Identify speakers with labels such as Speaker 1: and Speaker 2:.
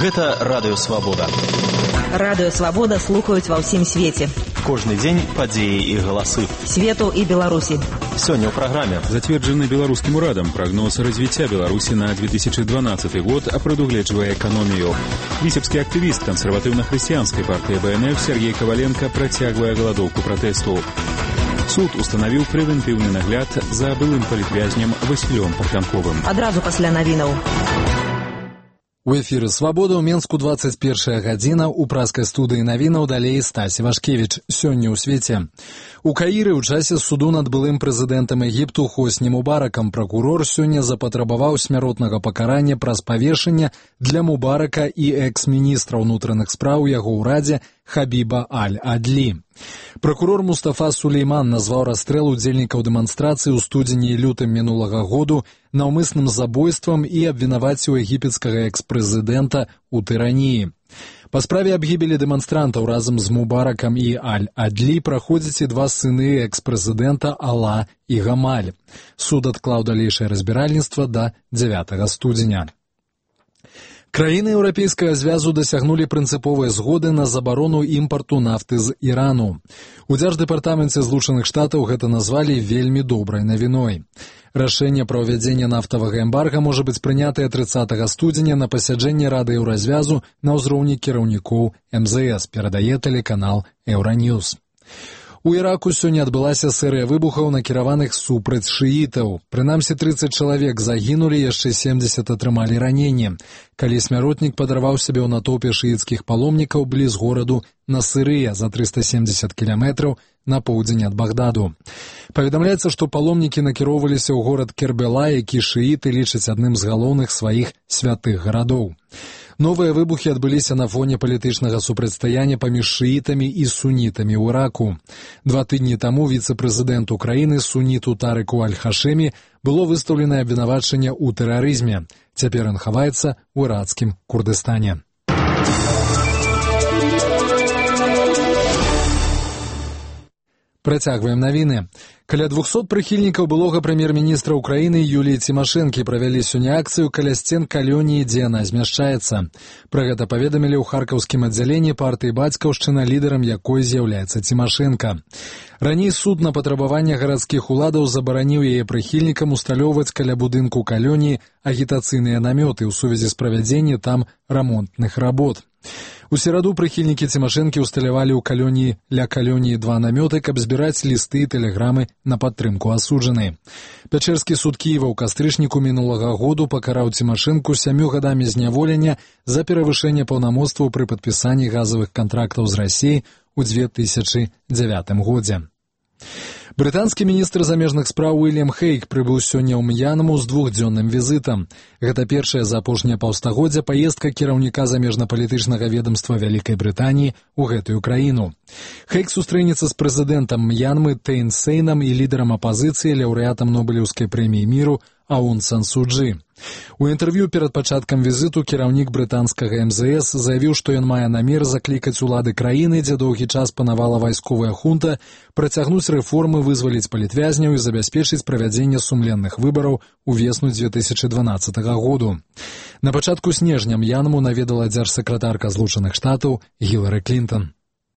Speaker 1: Гэта Радыё Свабода.
Speaker 2: Радыё Свабода слухаюць ва ўсім свеце.
Speaker 1: Кожны дзень падзеі і галасы.
Speaker 2: Свету і Беларусі.
Speaker 1: Сёння ў праграме.
Speaker 3: Зацверджаны беларускім урадам прогноз развіцця Беларусі на 2012 год прадугледжвае эканомію. Віцебскі актывіст кансерватыўна-хрысціянскай партыі БНФ Сергей Коваленко працягвае галадоўку пратэсту. Суд устанавіў прэвентыўны нагляд за былым палітвязням Васілём Пахлянковым.
Speaker 2: Адразу пасля навінаў.
Speaker 4: У эфіры «Свабода» ў Менску 21 гадзіна, у праскай студыі навінаў далей Стасі Вашкевіч. Сёння ў свеце. У Каіры ў часе суду над былым прэзідэнтам Егіпту Хосні Мубаракам пракурор сёння запатрабаваў смяротнага пакарання праз павешанне для Мубарака і экс-міністра ўнутраных спраў яго ўрадзе Хабіба Аль-Адлі. Пракурор Мустафа Сулейман назваў расстрэл удзельнікаў дэманстрацыі ў студзені і лютым мінулага году наўмысным забойствам і абвінаваціў егіпецкага экс-прэзідэнта ў тыраніі. Па справе аб гібелі дэманстрантаў разам з Мубаракам і Аль-Адлі праходзяць і два сыны экс-прэзідэнта Ала і Гамаль. Суд адклаў далейшае разбіральніцтва да 9 студзеня. Краіны Еўрапейскага звязу дасягнулі прынцыповай згоды на забарону імпарту нафты з Ірану. У Дзярждэпартаменце Злучаных Штатаў гэта назвалі вельмі добрай навіной. Рашэнне пра ўвядзенне нафтавага эмбарга можа быць прынятае 30 студзеня на пасяджэнні Рады Еўразвязу на ўзроўні кіраўнікоў МЗС, перадае тэлеканал Еўраньюз. У Іраку сёння адбылася серыя выбухаў, накіраваных супраць шыітаў. Прынамсі 30 чалавек загінулі, яшчэ 70 атрымалі раненні, калі смяротнік падарваў сябе ў натоўпе шыіцкіх паломнікаў бліз гораду Насырыя за 370 кіламетраў на поўдзень ад Багдаду. Паведамляецца, што паломнікі накіроўваліся ў горад Кербела, які шыіты лічаць адным з галоўных сваіх святых гарадоў. Новыя выбухі адбыліся на фоне палітычнага супрацьстаяння паміж шыітамі і сунітамі ў Іраку. 2 тыдні таму віцэ-прэзідэнту краіны суніту Тарыку Аль-Хашэмі было выстаўленае абвінавачанне ў тэрарызме. Цяпер ён хаваецца ў іракскім Курдыстане. Працягваем навіны. Каля 200 прыхільнікаў былога прэм'ер-міністра ўкраіны Юліі Цімашэнкі правялі сёння акцыю каля сцен калоніі, дзе яна змяшчаецца. Пра гэта паведамілі ў харкаўскім аддзяленні партыі «Бацькаўшчына», лідарам якой з'яўляецца Цімашэнка. Раней суд на патрабаванне гарадскіх уладаў забараніў яе прыхільнікам усталёўваць каля будынку калоніі агітацыйныя намёты ў сувязі з правядзеннем там рамонтных работ. У сераду прыхільнікі Цімашэнкі усталявалі ў калоніі ля калоніі 2 намёты, каб збіраць лісты і тэлеграмы на падтрымку асуджанай. Пячэрскі суд Кіева ў кастрычніку мінулага году пакараў Цімашэнку 7 гадамі зняволення за перавышэнне паўнамоцтваў пры падпісанні газавых кантрактаў з Расіяй у 2009 годзе. Брытанскі міністр замежных спраў Уільям Хейг прыбыў сёння ў М'янму з 2-дзённым візітам. Гэта першая за апошняе паўстагоддзя паездка кіраўніка замежна-палітычнага ведамства Вялікай Брытаніі ў гэтую краіну. Хейг сустрэнецца з прэзідэнтам М'янмы Тэйн Сейнам і лідарам апазіцыі, лаўрэатам Нобелеўскай прэміі міру Аун Сан Су Чжы. У інтэрв'ю перад пачаткам візіту кіраўнік брытанскага МЗС заявіў, што ён мае намер заклікаць улады краіны, дзе доўгі час панавала вайсковая хунта, працягнуць рэформы, вызваліць палітвязняў і забяспечыць правядзенне сумленных выбараў увесну 2012 году. На пачатку снежня М'янму наведала дзяржсакратарка Злучаных Штатаў Гілары Клінтон.